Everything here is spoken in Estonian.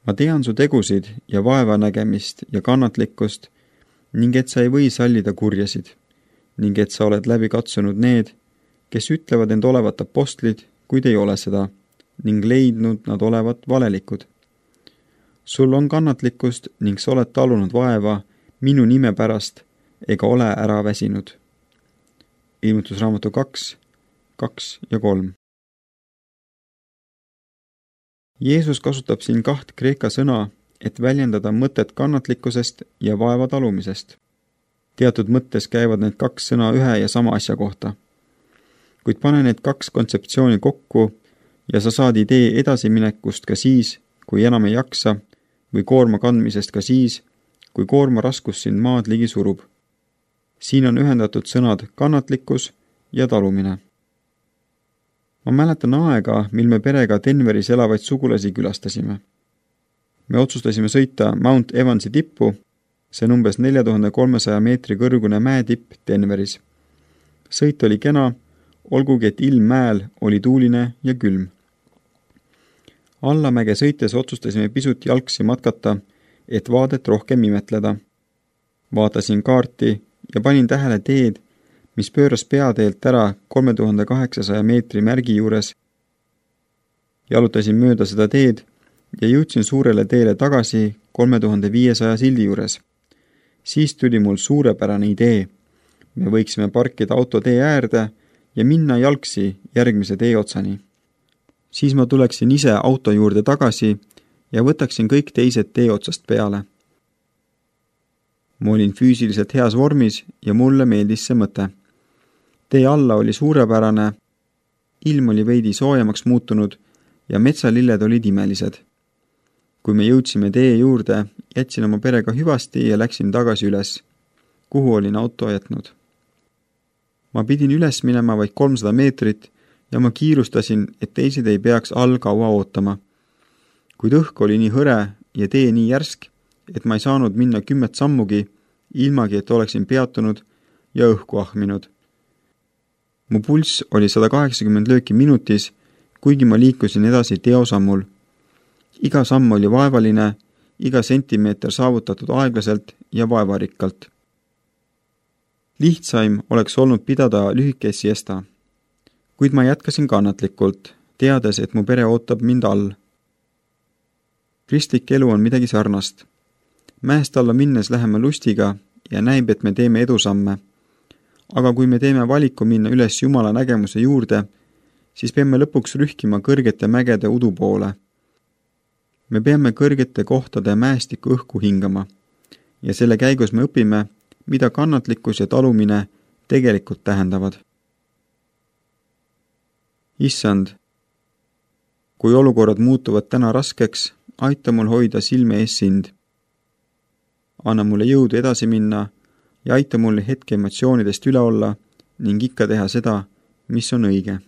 Ma tean su tegusid ja vaevanägemist ja kannatlikkust ning et sa ei või sallida kurjasid ning et sa oled läbi katsunud need, kes ütlevad end olevat apostlid, kuid ei ole seda, ning leidnud nad olevat valelikud. Sul on kannatlikkust ning sa oled talunud vaeva minu nime pärast ega ole ära väsinud. Ilmutusraamatu 2, 2 ja 3. Jeesus kasutab siin 2 kreeka sõna, et väljendada mõtet kannatlikkusest ja vaeva talumisest. Teatud mõttes käivad need 2 sõna ühe ja sama asja kohta. Kuid pane need 2 kontseptsiooni kokku ja sa saad idee edasiminekust ka siis, kui enam ei jaksa, või koorma kandmisest ka siis, kui koorma raskus sind maad ligi surub. Siin on ühendatud sõnad kannatlikkus ja talumine. Ma mäletan aega, mil me perega Denveris elavaid sugulasi külastasime. Me otsustasime sõita Mount Evansi tippu, see on umbes 4300 meetri kõrgune mäetipp Denveris. Sõit oli kena, olgugi et ilm mäel oli tuuline ja külm. Allamäge sõites otsustasime pisut jalgsi matkata, et vaadet rohkem imetleda. Vaatasin kaarti ja panin tähele teed, mis pööras peateelt ära 3800 meetri märgi juures. Jalutasin mööda seda teed ja jõudsin suurele teele tagasi 3500 sildi juures. Siis tuli mul suurepärane idee. Me võiksime parkida auto tee äärde ja minna jalgsi järgmise tee otsani. Siis ma tuleksin ise auto juurde tagasi ja võtaksin kõik teised tee otsast peale. Ma olin füüsiliselt heas vormis ja mulle meeldis see mõte. Tee alla oli suurepärane, ilm oli veidi soojemaks muutunud ja metsalilled olid imelised. Kui me jõudsime tee juurde, jätsin oma perega hüvasti ja läksin tagasi üles, kuhu olin auto jätnud. Ma pidin üles minema vaid 300 meetrit ja ma kiirustasin, et teised ei peaks all kaua ootama. Kuid õhk oli nii hõre ja tee nii järsk, et ma ei saanud minna 10 sammugi, ilmagi et oleksin peatunud ja õhku ahminud. Mu pulss oli 180 lööki minutis, kuigi ma liikusin edasi teosammul. Iga samm oli vaevaline, iga sentimeeter saavutatud aeglaselt ja vaevarikkalt. Lihtsaim oleks olnud pidada lühikest siesta. Kuid ma jätkasin kannatlikult, teades, et mu pere ootab mind all. Kristlik elu on midagi sarnast. Mäest alla minnes läheme lustiga ja näib, et me teeme edusamme. Aga kui me teeme valiku minna üles Jumala nägemuse juurde, siis peame lõpuks rühkima kõrgete mägede udu poole. Me peame kõrgete kohtade mäestiku õhku hingama ja selle käigus me õpime, mida kannatlikkus ja talumine tegelikult tähendavad. Issand, kui olukorrad muutuvad täna raskeks, aita mul hoida silme ees sind. Anna mulle jõudu edasi minna ja aita mul hetke emotsioonidest üle olla ning ikka teha seda, mis on õige.